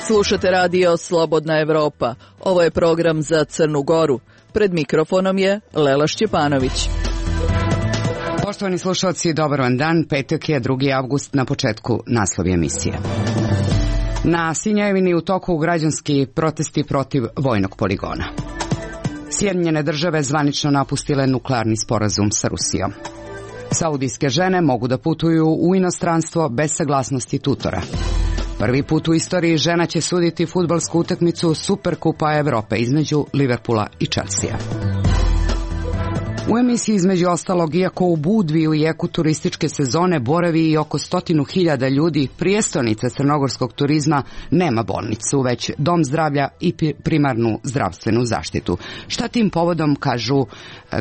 Slušate radio Slobodna Evropa. Ovo je program za Crnu Goru. Pred mikrofonom je Lela Šćepanović. Poštovani slušalci, dobar vam dan. Petak je 2. avgust, na početku naslovi emisije. Na Sinjevini u toku građanski protesti protiv vojnog poligona. Sjedinjene države zvanično napustile nuklearni sporazum sa Rusijom. Saudijske žene mogu da putuju u inostranstvo bez saglasnosti tutora. Prvi put u istoriji žena će suditi fudbalsku utakmicu Superkupa Evrope između Liverpoola i Chelsea. U emisiji između ostalog, iako u Budvi u jeku turističke sezone boravi i oko 100.000 ljudi, prijestolnica crnogorskog turizma nema bolnicu, već dom zdravlja i primarnu zdravstvenu zaštitu. Šta tim povodom kažu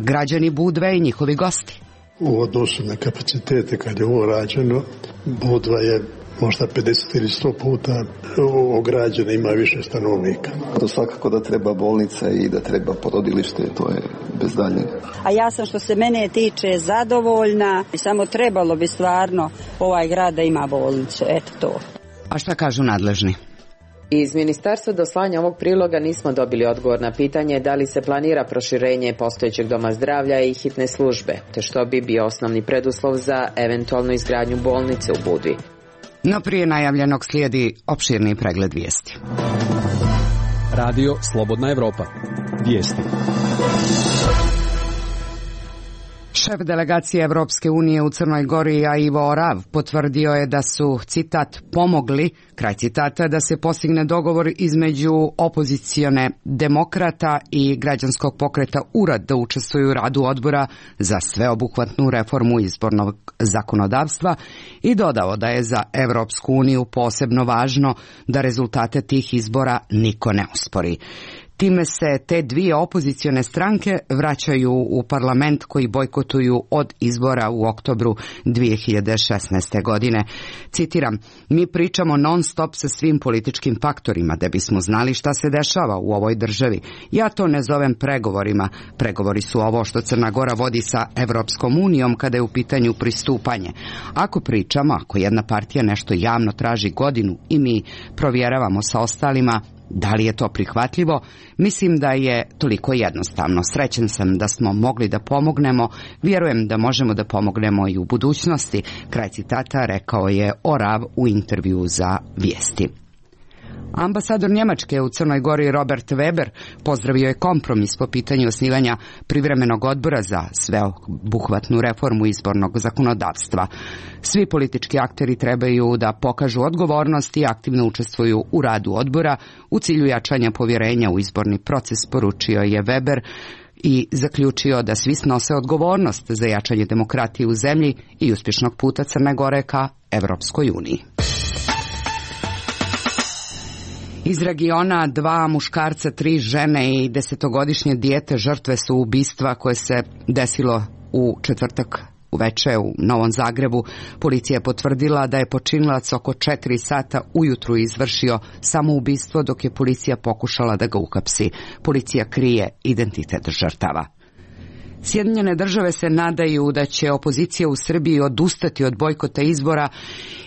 građani Budve i njihovi gosti? U odnosu na kapacitete kad je ovo rađeno, Budva je možda 50 ili 100 puta ograđena, ima više stanovnika. To svakako da treba bolnica i da treba porodilište, to je bez daljnjega. A ja sam, što se mene tiče, zadovoljna i samo trebalo bi stvarno ovaj grad da ima bolnicu, eto to. A šta kažu nadležni? Iz ministarstva do slanja ovog priloga nismo dobili odgovor na pitanje da li se planira proširenje postojećeg doma zdravlja i hitne službe, te što bi bio osnovni preduslov za eventualnu izgradnju bolnice u Budvi. No prije najavljenog slijedi opširni pregled vijesti. Radio Slobodna Evropa. Vijesti. Šef delegacije Evropske unije u Crnoj Gori, Ivo Orav, potvrdio je da su, citat, pomogli, kraj citata, da se postigne dogovor između opozicione demokrata i građanskog pokreta URAD da učestvuju u radu odbora za sveobuhvatnu reformu izbornog zakonodavstva i dodao da je za Evropsku uniju posebno važno da rezultate tih izbora niko ne ospori. Time se te dvije opozicione stranke vraćaju u parlament koji bojkotuju od izbora u oktobru 2016. godine. Citiram, mi pričamo non stop sa svim političkim faktorima da bismo znali šta se dešava u ovoj državi. Ja to ne zovem pregovorima. Pregovori su ovo što Crna Gora vodi sa Evropskom unijom kada je u pitanju pristupanje. Ako pričamo, ako jedna partija nešto javno traži godinu i mi provjeravamo sa ostalima, da li je to prihvatljivo? Mislim da je toliko jednostavno. Srećan sam da smo mogli da pomognemo. Vjerujem da možemo da pomognemo i u budućnosti. Kraj citata rekao je Orav u intervjuu za Vijesti. Ambasador Njemačke u Crnoj Gori Robert Weber pozdravio je kompromis po pitanju osnivanja privremenog odbora za sveobuhvatnu reformu izbornog zakonodavstva. Svi politički akteri trebaju da pokažu odgovornost i aktivno učestvuju u radu odbora u cilju jačanja povjerenja u izborni proces, poručio je Weber i zaključio da svi snose odgovornost za jačanje demokratije u zemlji i uspješnog puta Crne Gore ka Evropskoj uniji. Iz regiona 2 muškarca, 3 žene i 10-godišnje dijete žrtve su ubistva koje se desilo u četvrtak uveče u Novom Zagrebu. Policija je potvrdila da je počinilac oko 4 sata ujutru izvršio samoubistvo dok je policija pokušala da ga uhapsi. Policija krije identitet žrtava. Sjedinjene države se nadaju da će opozicija u Srbiji odustati od bojkota izbora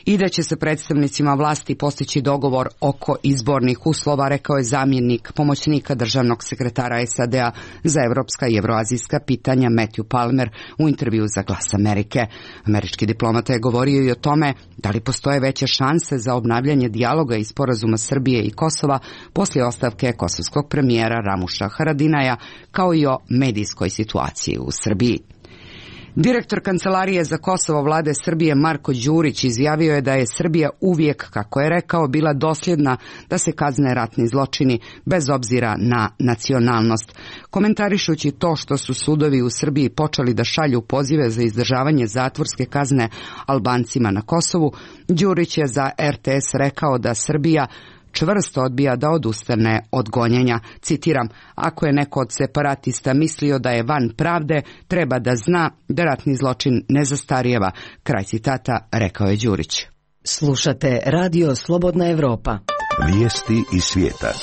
i da će se predstavnicima vlasti postići dogovor oko izbornih uslova, rekao je zamjenik pomoćnika državnog sekretara SAD-a za evropska i evroazijska pitanja Matthew Palmer u intervju za Glas Amerike. Američki diplomata je govorio i o tome da li postoje veće šanse za obnavljanje dijaloga i sporazuma Srbije i Kosova poslije ostavke kosovskog premijera Ramuša Haradinaja, kao i o medijskoj situaciji u Srbiji. Direktor Kancelarije za Kosovo vlade Srbije Marko Đurić izjavio je da je Srbija uvijek, kako je rekao, bila dosljedna da se kazne ratni zločini bez obzira na nacionalnost. Komentarišući to što su sudovi u Srbiji počeli da šalju pozive za izdržavanje zatvorske kazne Albancima na Kosovu, Đurić je za RTS rekao da Srbija čvrsto odbija da odustane od gonjenja. Citiram, ako je neko od separatista mislio da je van pravde, treba da zna da ratni zločin ne zastarijeva. Kraj citata, rekao je Đurić. Slušate Radio Slobodna Evropa. Vijesti iz svijeta.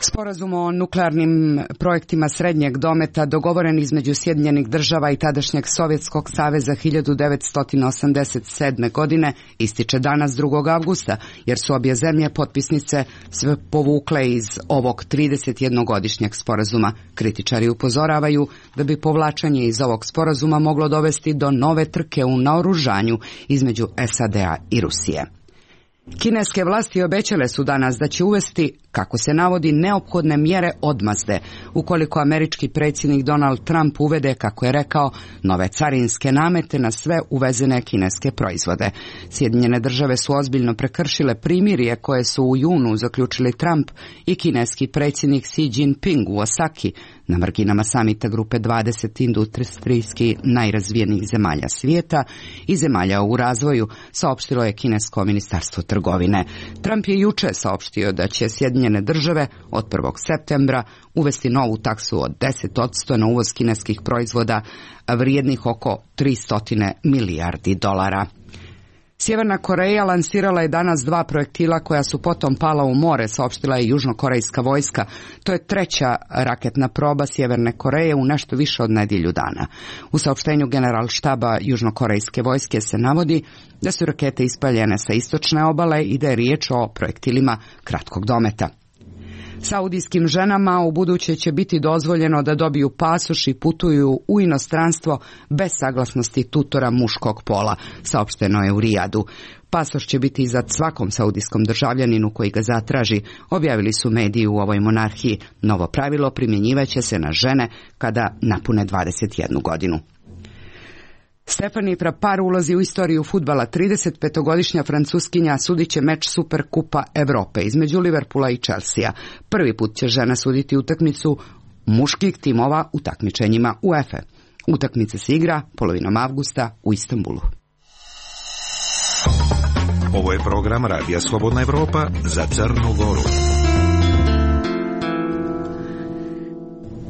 Sporazum o nuklearnim projektima srednjeg dometa dogovoren između Sjedinjenih država i tadašnjeg Sovjetskog saveza 1987. godine ističe danas 2. avgusta, jer su obje zemlje potpisnice sve povukle iz ovog 31-godišnjeg sporazuma. Kritičari upozoravaju da bi povlačenje iz ovog sporazuma moglo dovesti do nove trke u naoružanju između SAD-a i Rusije. Kineske vlasti obećale su danas da će uvesti, kako se navodi, neophodne mjere odmazde ukoliko američki predsjednik Donald Trump uvede, kako je rekao, nove carinske namete na sve uvezene kineske proizvode. Sjedinjene države su ozbiljno prekršile primirje koje su u junu zaključili Trump i kineski predsjednik Xi Jinping u Osaki na marginama samita grupe 20 industrijski najrazvijenijih zemalja svijeta i zemalja u razvoju, saopštilo je kinesko ministarstvo trgovine. Trump je juče saopštio da će Sjedinjene države od 1. septembra uvesti novu taksu od 10% na uvoz kineskih proizvoda vrijednih oko 300 milijardi dolara. Sjeverna Koreja lansirala je danas 2 projektila koja su potom pala u more, saopštila je južnokorejska vojska. To je 3. raketna proba Sjeverne Koreje u nešto više od nedjelju dana. U saopštenju generalštaba južnokorejske vojske se navodi da su rakete ispaljene sa istočne obale i da je riječ o projektilima kratkog dometa. Saudijskim ženama u buduće će biti dozvoljeno da dobiju pasoš i putuju u inostranstvo bez saglasnosti tutora muškog pola, saopšteno je u Rijadu. Pasoš će biti izdat svakom saudijskom državljaninu koji ga zatraži, objavili su mediji u ovoj monarhiji. Novo pravilo primjenjivaće se na žene kada napune 21 godinu. Stephanie Frappart ulazi u istoriju fudbala. 35-godišnja Francuskinja sudit će meč Superkupa Europe između Liverpoola i Chelsea. Prvi put će žena suditi utakmicu muških timova u takmičenjima UEFA. Utakmica se igra polovinom avgusta u Istanbulu. Ovo je program Radija Slobodna Evropa za Crnu Goru.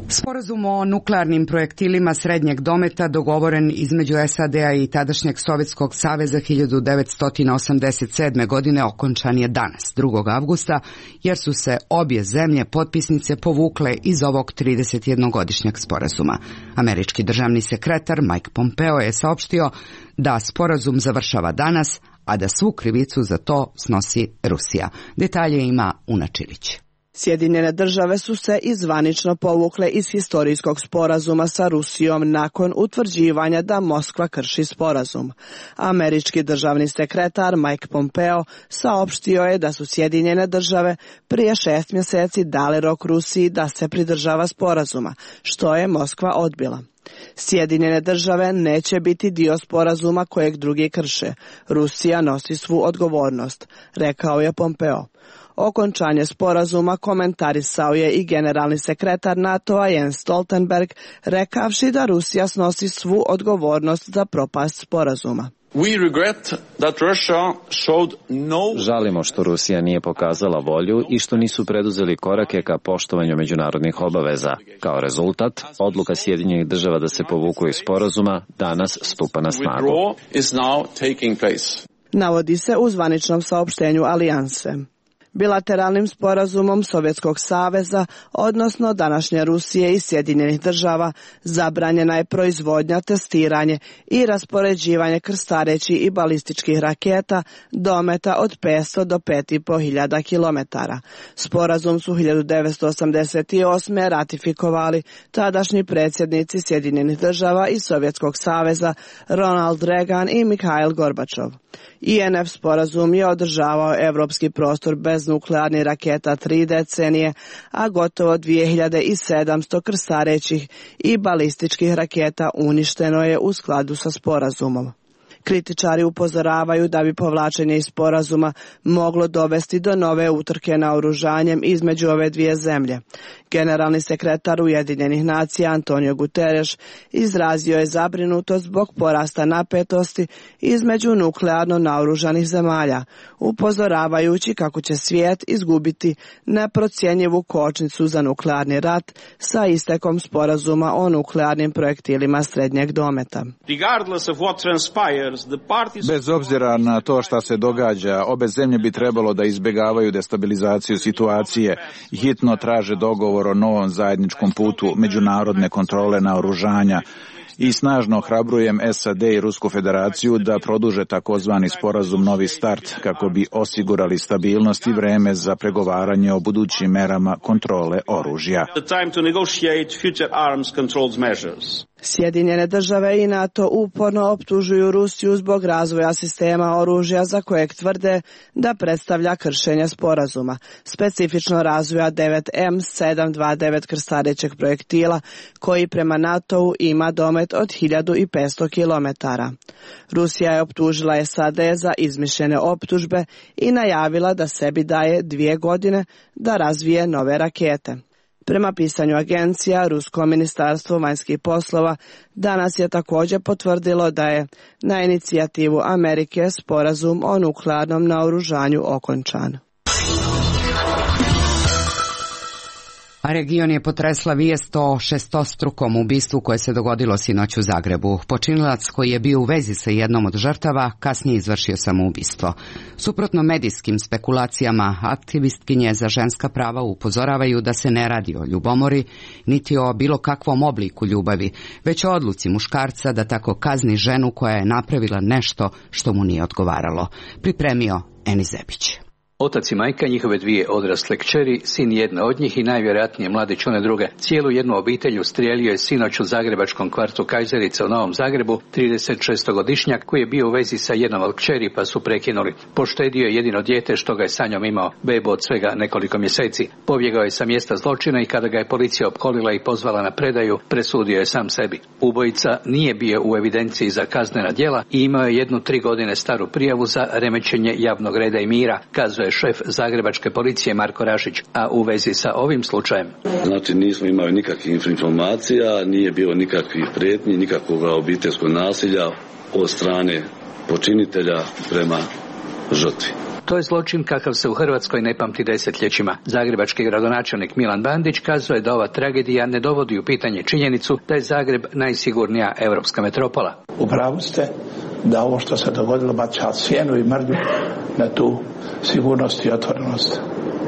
Sporazum o nuklearnim projektilima srednjeg dometa dogovoren između SAD-a i tadašnjeg Sovjetskog saveza 1987. godine okončan je danas, 2. avgusta, jer su se obje zemlje potpisnice povukle iz ovog 31-godišnjeg sporazuma. Američki državni sekretar Mike Pompeo je saopštio da sporazum završava danas, a da svu krivicu za to snosi Rusija. Detalje ima Una Čilić. Sjedinjene države su se i zvanično povukle iz historijskog sporazuma sa Rusijom nakon utvrđivanja da Moskva krši sporazum. Američki državni sekretar Mike Pompeo saopštio je da su Sjedinjene države prije 6 mjeseci dali rok Rusiji da se pridržava sporazuma, što je Moskva odbila. Sjedinjene države neće biti dio sporazuma kojeg drugi krše. Rusija nosi svu odgovornost, rekao je Pompeo. Okončanje sporazuma komentarisao je i generalni sekretar NATO-a Jens Stoltenberg, rekavši da Rusija snosi svu odgovornost za propast sporazuma. Žalimo što Rusija nije pokazala volju i što nisu preduzeli korake ka poštovanju međunarodnih obaveza. Kao rezultat, odluka Sjedinjenih država da se povuku iz sporazuma danas stupa na snagu. Navodi se u zvaničnom saopštenju alijanse. Bilateralnim sporazumom Sovjetskog saveza, odnosno današnje Rusije i Sjedinjenih država, zabranjena je proizvodnja, testiranje i raspoređivanje krstarećih i balističkih raketa dometa od 500 do 5.500 kilometara. Sporazum su 1988. ratifikovali tadašnji predsjednici Sjedinjenih država i Sovjetskog saveza Ronald Reagan i Mikhail Gorbačov. INF sporazum je održavao evropski prostor bez nuklearnih raketa 3 decenije, a gotovo 2700 krstarećih i balističkih raketa uništeno je u skladu sa sporazumom. Kritičari upozoravaju da bi povlačenje iz sporazuma moglo dovesti do nove utrke naoružanjem između ove dvije zemlje. Generalni sekretar Ujedinjenih nacija Antonio Guterres izrazio je zabrinutost zbog porasta napetosti između nuklearno naoružanih zemalja, upozoravajući kako će svijet izgubiti neprocjenjivu kočnicu za nuklearni rat sa istekom sporazuma o nuklearnim projektilima srednjeg dometa. Regardless of what transpired Bez obzira na to šta se događa, obe zemlje bi trebalo da izbjegavaju destabilizaciju situacije i hitno traže dogovor o novom zajedničkom putu međunarodne kontrole naoružanja i snažno ohrabrujem SAD i Rusku federaciju da produže takozvani sporazum Novi start kako bi osigurali stabilnost i vreme za pregovaranje o budućim merama kontrole oružja. Sjedinjene države i NATO uporno optužuju Rusiju zbog razvoja sistema oružja za kojeg tvrde da predstavlja kršenje sporazuma, specifično razvoja 9M729 krstarećeg projektila koji prema NATO-u ima domet od 1500 km. Rusija je optužila SAD za izmišljene optužbe i najavila da sebi daje 2 godine da razvije nove rakete. Prema pisanju agencija, Rusko ministarstvo vanjskih poslova danas je također potvrdilo da je na inicijativu Amerike sporazum o nuklearnom naoružanju okončan. A region je potresla vijest o šestostrukom ubistvu koje se dogodilo sinoć u Zagrebu. Počinilac koji je bio u vezi sa jednom od žrtava kasnije izvršio samoubistvo. Suprotno medijskim spekulacijama, aktivistkinje za ženska prava upozoravaju da se ne radi o ljubomori, niti o bilo kakvom obliku ljubavi, već o odluci muškarca da tako kazni ženu koja je napravila nešto što mu nije odgovaralo. Pripremio Eni Zebić. Otac i majka, njihove 2 odrasle kćeri, sin jedne od njih i najvjerojatnije mladić one druge. Cijelu jednu obitelj ustrijelio je sinoć u zagrebačkom kvartu Kajzerica u Novom Zagrebu 36-godišnjak koji je bio u vezi sa jednom od kćeri pa su prekinuli. Poštedio je jedino dijete što ga je sa njom imao, bebu od svega nekoliko mjeseci. Pobjegao je sa mjesta zločina i kada ga je policija opkolila i pozvala na predaju, presudio je sam sebi. Ubojica nije bio u evidenciji za kaznena djela i imao je 3 godine staru prijavu za remećenje javnog reda i mira, kazuje šef zagrebačke policije Marko Rašić, a u vezi sa ovim slučajem. Znači nismo imali nikakvih informacija, nije bilo nikakvih prijetnji, nikakvog obiteljskog nasilja od strane počinitelja prema žrtvi. To je zločin kakav se u Hrvatskoj ne pamti desetljećima. Zagrebački gradonačelnik Milan Bandić kazuje da ova tragedija ne dovodi u pitanje činjenicu da je Zagreb najsigurnija europska metropola. U pravu ste da ovo što se dogodilo baca sjenu i mrlju na tu sigurnost i otvorenost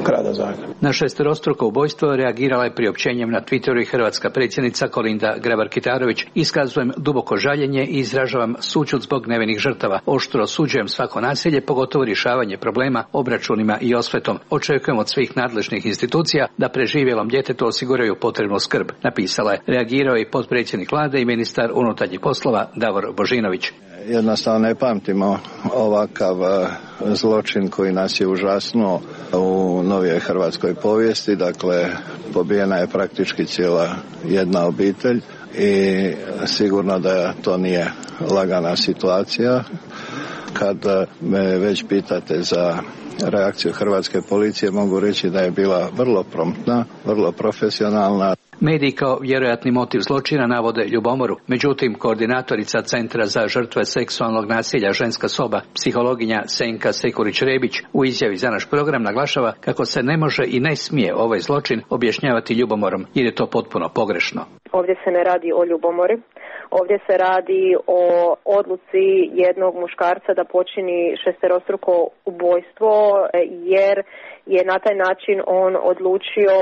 grada Zagreba. Na šesterostruko ubojstvo reagirala je priopćenjem na Twitteru i hrvatska predsjednica Kolinda Grabar-Kitarović. Iskazujem duboko žaljenje i izražavam sućut zbog nevinih žrtava. Oštro osuđujem svako nasilje, pogotovo rješavanje problema, obračunima i osvetom. Očekujem od svih nadležnih institucija da preživjelom djetetu osiguraju potrebnu skrb, napisala je. Reagirao je i potpredsjednik vlade i ministar unutarnjih poslova Davor Božinović. Jednostavno ne pamtimo ovakav zločin koji nas je užasnuo u novijoj hrvatskoj povijesti. Dakle, pobijena je praktički cijela jedna obitelj i sigurno da to nije lagana situacija. Kad me već pitate za reakciju hrvatske policije, mogu reći da je bila vrlo promptna, vrlo profesionalna. Mediji kao vjerojatni motiv zločina navode ljubomoru. Međutim, koordinatorica Centra za žrtve seksualnog nasilja Ženska soba, psihologinja Senka Sekurić-Rebić, u izjavi za naš program naglašava kako se ne može i ne smije ovaj zločin objašnjavati ljubomorom, jer je to potpuno pogrešno. Ovdje se ne radi o ljubomori. Ovdje se radi o odluci jednog muškarca da počini šesterostruko ubojstvo, jer je na taj način on odlučio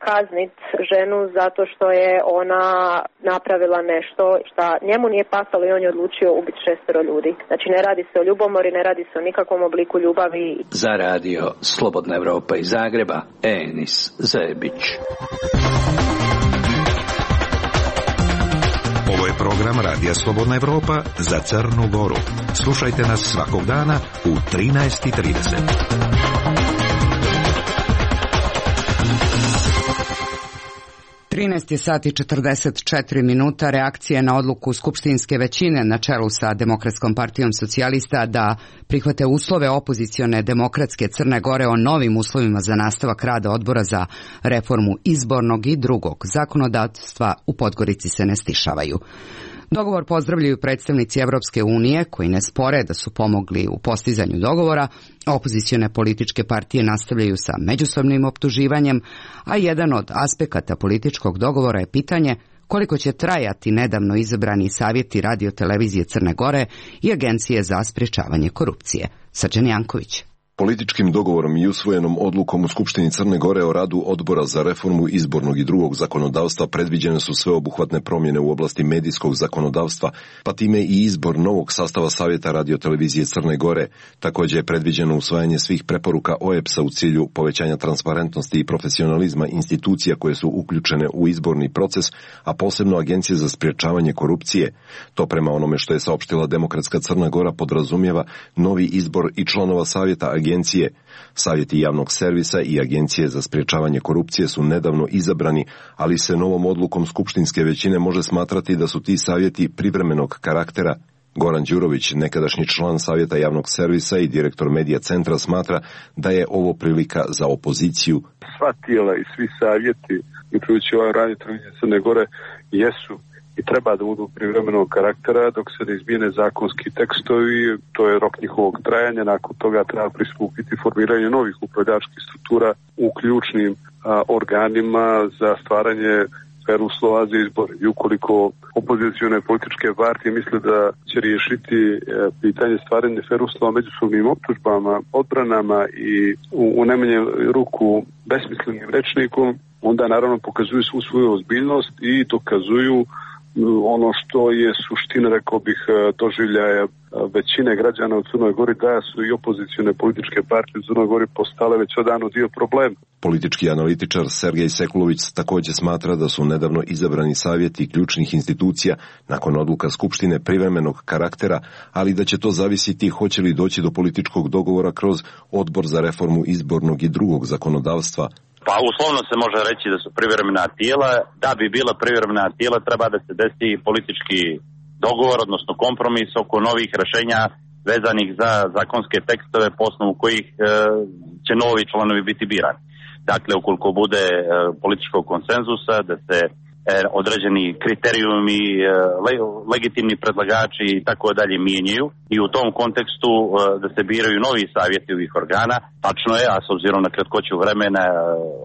kazniti ženu zato što je ona napravila nešto što njemu nije pasalo i on je odlučio ubiti 6 ljudi. Znači ne radi se o ljubomori, ne radi se o nikakvom obliku ljubavi. Za radio Slobodna Evropa iz Zagreba, Enis Zebić. Ovo je program Radija Slobodna Evropa za Crnu Goru. Slušajte nas svakog dana u 13:30. 13 sati i 44 minuta. Reakcije na odluku skupštinske većine na čelu sa Demokratskom partijom socijalista da prihvate uslove opozicione demokratske Crne Gore o novim uslovima za nastavak rada odbora za reformu izbornog i drugog zakonodavstva u Podgorici se ne stišavaju. Dogovor pozdravljaju predstavnici Evropske unije koji ne spore da su pomogli u postizanju dogovora. Opozicione političke partije nastavljaju sa međusobnim optuživanjem, a jedan od aspekata političkog dogovora je pitanje koliko će trajati nedavno izabrani savjeti radiotelevizije Crne Gore i Agencije za sprječavanje korupcije. Srđan Janković. Političkim dogovorom i usvojenom odlukom u Skupštini Crne Gore o radu Odbora za reformu izbornog i drugog zakonodavstva predviđene su sveobuhvatne promjene u oblasti medijskog zakonodavstva, pa time i izbor novog sastava Savjeta radiotelevizije Crne Gore. Također je predviđeno usvajanje svih preporuka OEBS-a u cilju povećanja transparentnosti i profesionalizma institucija koje su uključene u izborni proces, a posebno Agencije za sprječavanje korupcije. To prema onome što je saopštila Demokratska Crna Gora podrazumijeva novi izbor i članova Savjeta agencije. Savjeti javnog servisa i Agencije za sprječavanje korupcije su nedavno izabrani, ali se novom odlukom skupštinske većine može smatrati da su ti savjeti privremenog karaktera. Goran Đurović, nekadašnji član Savjeta javnog servisa i direktor Medija centra, smatra da je ovo prilika za opoziciju. Sva tijela i svi savjeti, uključujući ovaj radiotelevizije Crne Gore, jesu i treba da budu privremenog karaktera dok se ne izmijene zakonski tekstovi, to je rok njihovog trajanja, nakon toga treba pristupiti formiranje novih upravljačkih struktura u ključnim organima za stvaranje fer uslova za izbore. I ukoliko opozicione političke partije misle da će riješiti pitanje stvaranja fer uslova međusobnim optužbama, odbranama i u najmanju ruku besmislenim rečnikom, onda naravno pokazuju svu svoju ozbiljnost i dokazuju ono što je suština, rekao bih, doživljaja većine građana u Crnoj Gori, da su i opozicione političke partije u Crnoj Gori postale već odavno dio problema. Politički analitičar Sergej Sekulović također smatra da su nedavno izabrani savjeti ključnih institucija nakon odluka Skupštine privremenog karaktera, ali da će to zavisiti hoće li doći do političkog dogovora kroz Odbor za reformu izbornog i drugog zakonodavstva. Pa uslovno se može reći da su privremena tijela. Da bi bila privremena tijela treba da se desi politički dogovor, odnosno kompromis oko novih rješenja vezanih za zakonske tekstove po osnovu kojih će novi članovi biti birani. Dakle, ukoliko bude političkog konsenzusa, da se određeni kriterijumi, legitimni predlagači i tako dalje mijenjaju i u tom kontekstu da se biraju novi savjeti ovih organa. Tačno je, a s obzirom na kratkoću vremena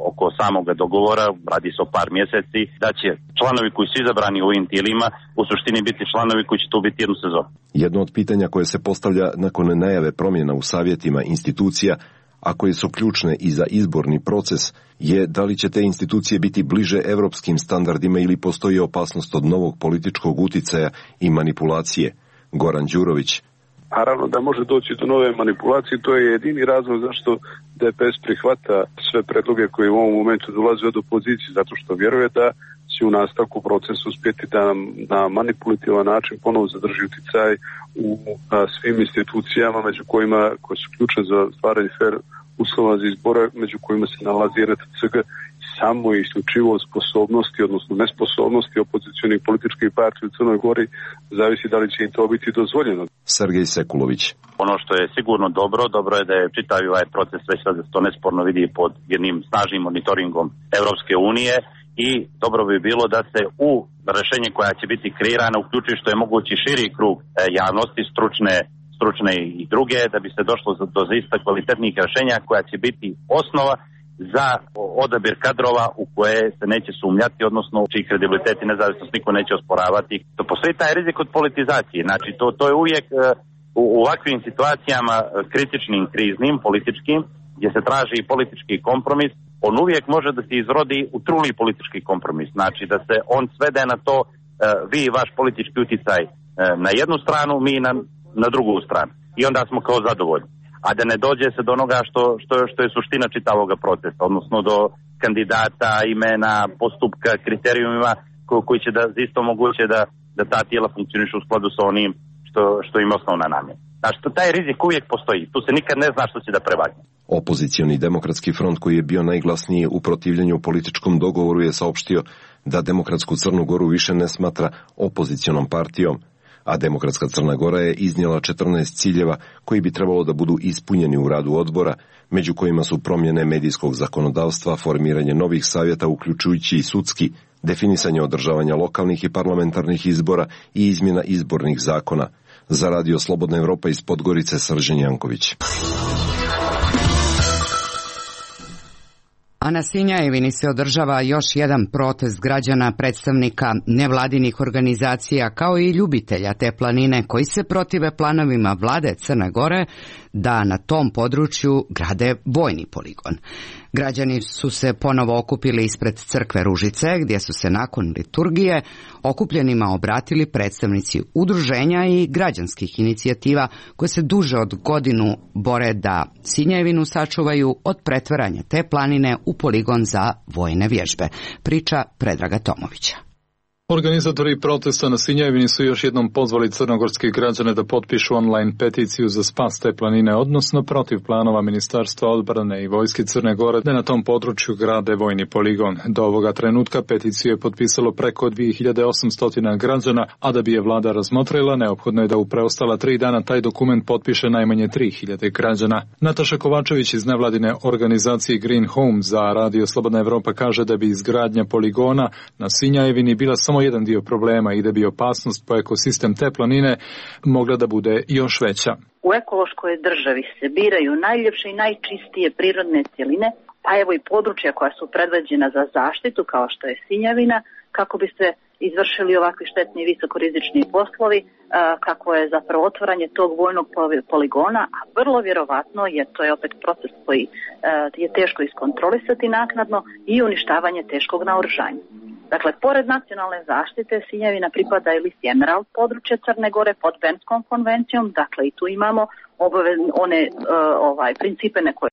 oko samoga dogovora, radi se o par mjeseci, da će članovi koji su izabrani u ovim tijelima u suštini biti članovi koji će tu biti jednu sezonu. Jedno od pitanja koje se postavlja nakon najave promjena u savjetima institucija, a koje su ključne i za izborni proces, je da li će te institucije biti bliže europskim standardima ili postoji opasnost od novog političkog uticaja i manipulacije. Goran Đurović. Naravno da može doći do nove manipulacije, to je jedini razlog zašto DPS prihvata sve predloge koje u ovom momentu dolaze od opozicije, zato što vjeruje da će u nastavku procesa uspjeti da na manipulativan način ponovo zadrži uticaj u svim institucijama među kojima koje su ključne za stvaranje fer uslova za izbore, među kojima se nalazi RTCG, samo i isključivo sposobnosti, odnosno nesposobnosti opozicionih političkih partija u Crnoj Gori, zavisi da li će im to biti dozvoljeno. Sergej Sekulović. Ono što je sigurno dobro je da je čitav ovaj proces već sad to nesporno vidi pod jednim snažnim monitoringom Europske unije i dobro bi bilo da se u rješenje koja će biti kreirana uključi što je mogući širi krug javnosti, stručne i druge, da bi se došlo do zaista kvalitetnih rješenja koja će biti osnova za odabir kadrova u koje se neće sumnjati, odnosno čiji kredibilitet i nezavisnost niko neće osporavati. To postoji taj rizik od politizacije. Znači to je uvijek u ovakvim situacijama kritičnim, kriznim, političkim, gdje se traži politički kompromis, on uvijek može da se izrodi u truli politički kompromis. Znači da se on svede na to vi i vaš politički uticaj na jednu stranu, mi na drugu stranu. I onda smo kao zadovoljni. A da ne dođe se do onoga što je suština čitavoga procesa, odnosno do kandidata, imena, postupka, kriterijumima koji će da isto moguće da ta tijela funkcionišu u skladu sa onim što im osnovna namjena. Znači, taj rizik uvijek postoji. Tu se nikad ne zna što će da prevagne. Opozicioni demokratski front, koji je bio najglasniji u protivljenju političkom dogovoru, je saopštio da Demokratsku Crnu Goru više ne smatra opozicionom partijom, a Demokratska Crna Gora je iznijela 14 ciljeva koji bi trebalo da budu ispunjeni u radu odbora, među kojima su promjene medijskog zakonodavstva, formiranje novih savjeta uključujući i sudski, definisanje održavanja lokalnih i parlamentarnih izbora i izmjena izbornih zakona. Za Radio Slobodna Evropa iz Podgorice, Srđan Janković. A na Sinjajevini se održava još jedan protest građana, predstavnika nevladinih organizacija kao i ljubitelja te planine koji se protive planovima vlade Crne Gore da na tom području grade vojni poligon. Građani su se ponovo okupili ispred crkve Ružice, gdje su se nakon liturgije okupljenima obratili predstavnici udruženja i građanskih inicijativa koje se duže od godinu bore da Sinjajevinu sačuvaju od pretvaranja te planine u poligon za vojne vježbe. Priča Predraga Tomovića. Organizatori protesta na Sinjajevini su još jednom pozvali crnogorske građane da potpišu online peticiju za spas te planine, odnosno protiv planova Ministarstva odbrane i vojske Crne Gore da na tom području grade vojni poligon. Do ovoga trenutka peticiju je potpisalo preko 2800 građana, a da bi je vlada razmotrila, neophodno je da u preostala 3 dana taj dokument potpiše najmanje 3000 građana. Nataša Kovačević iz nevladine organizacije Green Home za Radio Slobodna Evropa kaže da bi izgradnja poligona na Sinjajevini bila samo jedan dio problema i da bi opasnost po ekosistem te planine mogla da bude još veća. U ekološkoj državi se biraju najljepše i najčistije prirodne cjeline, pa evo i područja koja su predviđena za zaštitu kao što je Sinjavina, kako bi se izvršili ovakvi štetni i visokorizični poslovi, kako je zapravo otvaranje tog vojnog poligona, a vrlo vjerovatno, jer to je opet proces koji je teško iskontrolisati naknadno, i uništavanje teškog naoružanja. Dakle, pored nacionalne zaštite, Sinjavina pripada i listi Emerald područje Crne Gore pod Bernskom konvencijom, dakle i tu imamo one principe na koje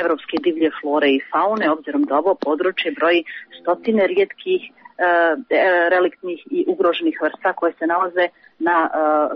evropske divlje flore i faune, obzirom da ovo područje broji stotine rijetkih reliktnih i ugroženih vrsta koje se nalaze na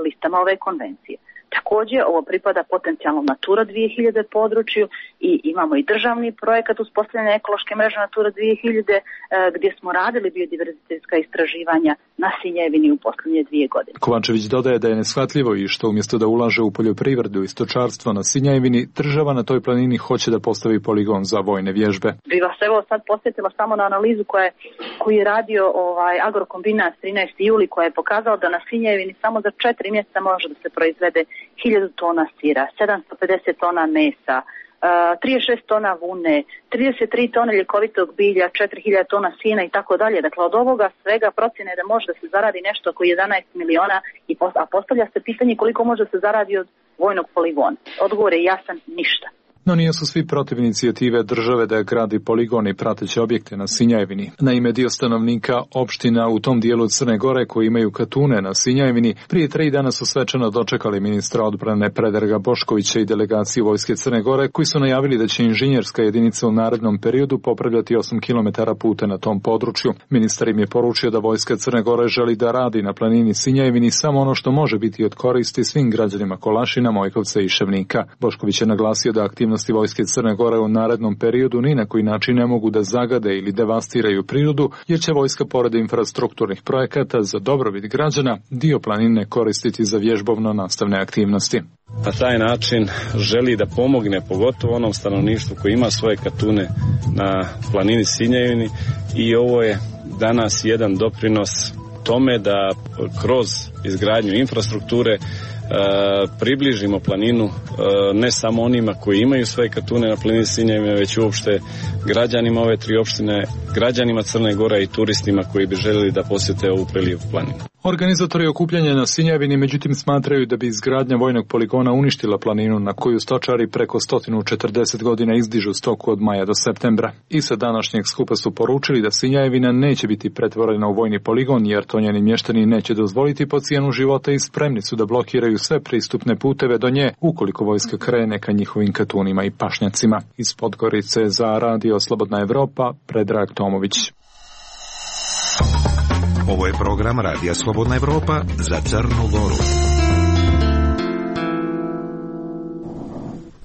listama ove konvencije. Također, ovo pripada potencijalno Natura 2000 području i imamo i državni projekat uspostavljanja ekološke mreže Natura 2000 gdje smo radili biodiverzitetska istraživanja na Sinjevini u posljednje 2 godine. Kovačević dodaje da je neshvatljivo i što umjesto da ulaže u poljoprivredu i stočarstvo na Sinjevini, država na toj planini hoće da postavi poligon za vojne vježbe. Bi vas evo sad posjetila samo na analizu koju je radio Agrokombinat 13. juli, koja je pokazala da na Sinjevini samo za 4 mjeseca može da se proizvede 1000 tona sira, 750 tona mesa, 36 tona vune, 33 tone ljekovitog bilja, 4000 tona sina i tako dalje. Dakle, od ovoga svega procjene da može da se zaradi nešto oko 11 miliona, a postavlja se pitanje koliko može da se zaradi od vojnog poligona. Odgovor je jasan, ništa. No nisu svi protiv inicijative države da gradi poligon i prateće objekte na Sinjajevini. Naime, dio stanovnika opština u tom dijelu Crne Gore koji imaju katune na Sinjajevini prije 3 dana su svečano dočekali ministra odbrane Predraga Boškovića i delegaciju vojske Crne Gore, koji su najavili da će inženjerska jedinica u narednom periodu popravljati 8 km puta na tom području. Ministar im je poručio da vojska Crne Gore želi da radi na planini Sinjajevini samo ono što može biti od koristi svim građanima Kolašina, Mojkovca i Ševnika. Bošković je naglasio da aktivnosti vojske Crne Gore u narednom periodu ni na koji način ne mogu da zagade ili devastiraju prirodu, jer će vojska pored infrastrukturnih projekata za dobrobit građana dio planine koristiti za vježbovno-nastavne aktivnosti. Na taj način želi da pomogne pogotovo onom stanovništvu koji ima svoje katune na planini Sinjajevini, i ovo je danas jedan doprinos tome da kroz izgradnju infrastrukture približimo planinu ne samo onima koji imaju svoje katune na planini Sinjajevine, već uopšte građanima ove 3 opštine, građanima Crne Gore i turistima koji bi željeli da posjete ovu prelijepu planinu. Organizatori okupljanja na Sinjajevini međutim smatraju da bi izgradnja vojnog poligona uništila planinu na koju stočari preko 140 godina izdižu stoku od maja do septembra. I sa današnjeg skupa su poručili da Sinjajevina neće biti pretvorena u vojni poligon, jer to njeni mještani neće dozvoliti po cijenu života, i spremni su da blokiraju sve pristupne puteve do nje ukoliko vojska krene ka njihovim katunima i pašnjacima. Iz Podgorice za Radio Slobodna Evropa, Predrag Tomović. Ovo je program Radija Slobodna Evropa za Crnu Goru.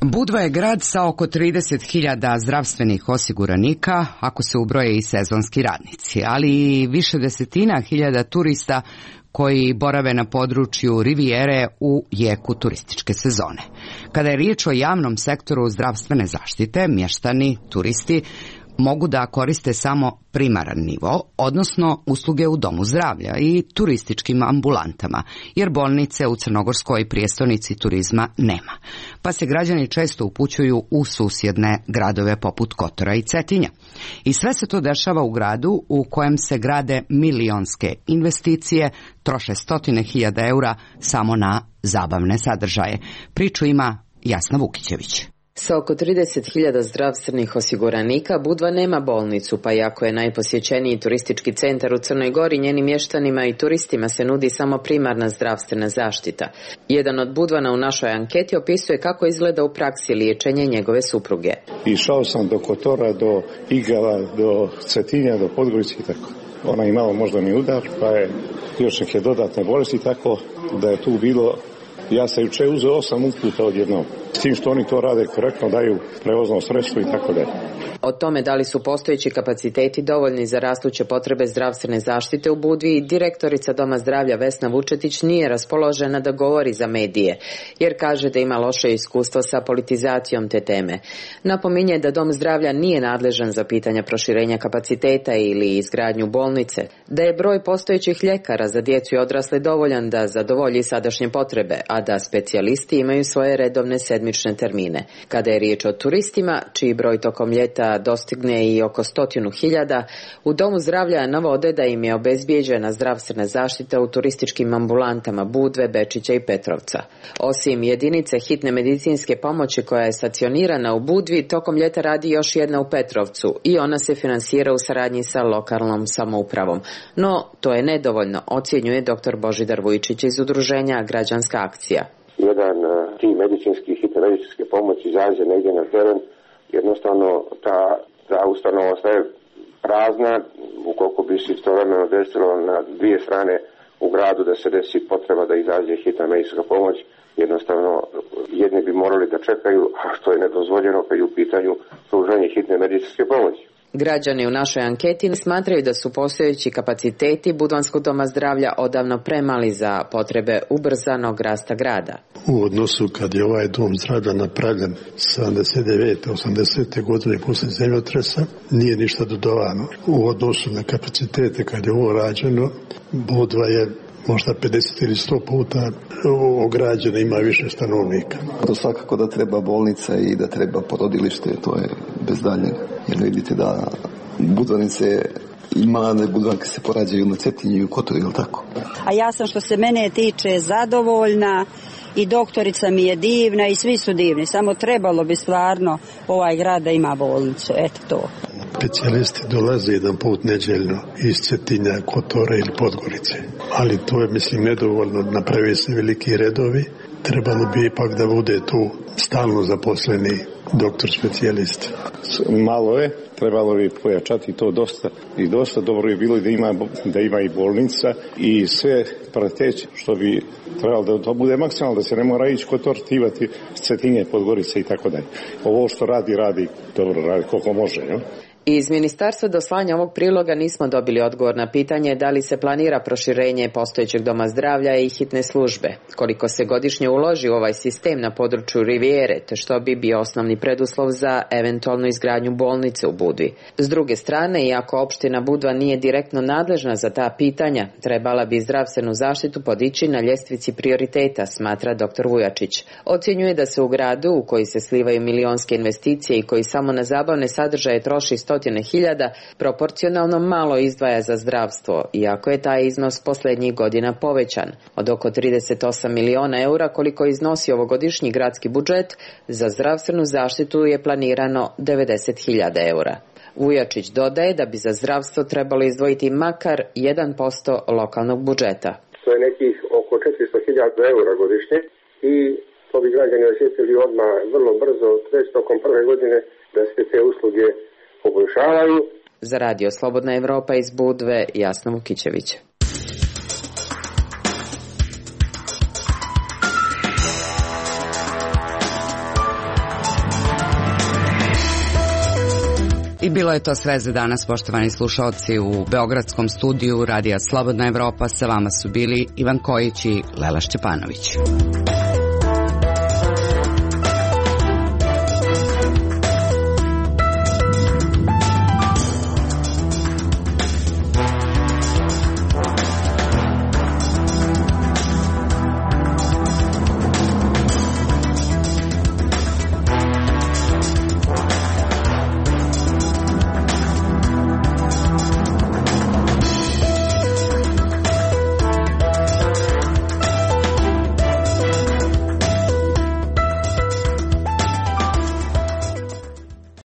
Budva je grad sa oko 30.000 zdravstvenih osiguranika, ako se ubroje i sezonski radnici, ali i više desetina hiljada turista koji borave na području Rivijere u jeku turističke sezone. Kada je riječ o javnom sektoru zdravstvene zaštite, mještani, turisti mogu da koriste samo primaran nivo, odnosno usluge u domu zdravlja i turističkim ambulantama, jer bolnice u crnogorskoj prijestolnici turizma nema, pa se građani često upućuju u susjedne gradove poput Kotora i Cetinja. I sve se to dešava u gradu u kojem se grade milionske investicije, troše 100.000 eura samo na zabavne sadržaje. Priču ima Jasna Vukićević. Sa oko 30.000 zdravstvenih osiguranika, Budva nema bolnicu, pa iako je najposjećeniji turistički centar u Crnoj Gori, njenim mještanima i turistima se nudi samo primarna zdravstvena zaštita. Jedan od Budvana u našoj anketi opisuje kako izgleda u praksi liječenje njegove supruge. Išao sam do Kotora, do Igala, do Cetinja, do Podgorice i tako. Ona imala moždani udar, pa je još neke dodatne bolesti, tako da je tu bilo. Ja sam juče uzeo 8 uputa odjednom. S tim što oni to rade korektno, daju prevozno sredstvo i tako dalje. O tome da li su postojeći kapaciteti dovoljni za rastuće potrebe zdravstvene zaštite u Budvi, direktorica Doma zdravlja Vesna Vučetić nije raspoložena da govori za medije, jer kaže da ima loše iskustvo sa politizacijom te teme. Napominje da Dom zdravlja nije nadležan za pitanja proširenja kapaciteta ili izgradnju bolnice, da je broj postojećih ljekara za djecu i odrasle dovoljan da zadovolji sadašnje potrebe, a da specijalisti imaju svoje redovne sedmične termine. Kada je riječ o turistima, čiji broj tokom ljeta dostigne i oko 100.000, u Domu zdravlja navode da im je obezbijeđena zdravstvena zaštita u turističkim ambulantama Budve, Bečića i Petrovca. Osim jedinice hitne medicinske pomoći koja je stacionirana u Budvi, tokom ljeta radi još jedna u Petrovcu i ona se finansira u saradnji sa lokalnom samoupravom. No, to je nedovoljno, ocjenjuje dr. Božidar Vujčić iz udruženja Građanska akcija. Jedan tim medicinski, hitne medicinske pomoći izađe negdje na teren, jednostavno ta ustanova ostaje prazna, ukoliko bi se istovremeno desilo na dvije strane u gradu da se desi potreba da izađe hitna medicinska pomoć, jednostavno jedni bi morali da čekaju, a što je nedozvoljeno kad je u pitanju pružanje hitne medicinske pomoći. Građani u našoj anketi smatraju da su postojeći kapaciteti Budvanskog doma zdravlja odavno premali za potrebe ubrzanog rasta grada. U odnosu kad je ovaj dom zdravlja napravljen 79. 80. godine poslije zemljotresa, nije ništa dodavano. U odnosu na kapacitete kad je ovo rađeno, Budva je možda 50 ili 100 puta ograđena, ima više stanovnika. To svakako da treba bolnica i da treba porodilište, to je bez daljnjeg. Jer vidite da Budvanice i mlade Budvanke se porađaju na Cetinju i u Kotoru, ili tako? A ja sam, što se mene tiče, zadovoljna i doktorica mi je divna i svi su divni. Samo trebalo bi stvarno ovaj grad da ima bolnicu, eto to. Specijalisti dolaze jedan put neđeljno iz Cetinja, Kotora ili Podgorice. Ali to je, mislim, nedovoljno, napravi se veliki redovi. Trebalo bi ipak da bude tu stalno zaposleni doktor specijalist. Malo je, trebalo bi pojačati to dosta dobro bi bilo da ima i bolnica i sve prateće što bi trebalo da to bude maksimalno, da se ne mora ići Kotor, Tivati, Cetinje, Podgorice i tako dalje. Ovo što radi, dobro radi koliko može, jo? Iz ministarstva do slanja ovog priloga nismo dobili odgovor na pitanje da li se planira proširenje postojećeg doma zdravlja i hitne službe, koliko se godišnje uloži u ovaj sistem na području Rivijere, te što bi bio osnovni preduslov za eventualnu izgradnju bolnice u Budvi. S druge strane, iako opština Budva nije direktno nadležna za ta pitanja, trebala bi zdravstvenu zaštitu podići na ljestvici prioriteta, smatra dr. Vujačić. Ocjenjuje da se u gradu u koji se slivaju milionske investicije i koji samo na zabavne sadržaje troši 100.000, proporcionalno malo izdvaja za zdravstvo, iako je taj iznos posljednjih godina povećan. Od oko 38 miliona eura koliko iznosi ovogodišnji gradski budžet, za zdravstvenu zaštitu je planirano 90.000 eura. Vujačić dodaje da bi za zdravstvo trebalo izdvojiti makar 1% lokalnog budžeta. To je nekih oko 400.000 eura godišnje i to bi građani osjetili odmah vrlo brzo, već tokom prve godine, da se te usluge poboljšavaju. Za Radio Slobodna Evropa iz Budve, Jasna Vukićević. I bilo je to sve za danas, poštovani slušalci. U beogradskom studiju Radija Slobodna Evropa sa vama su bili Ivan Kojić i Lela Šćepanović.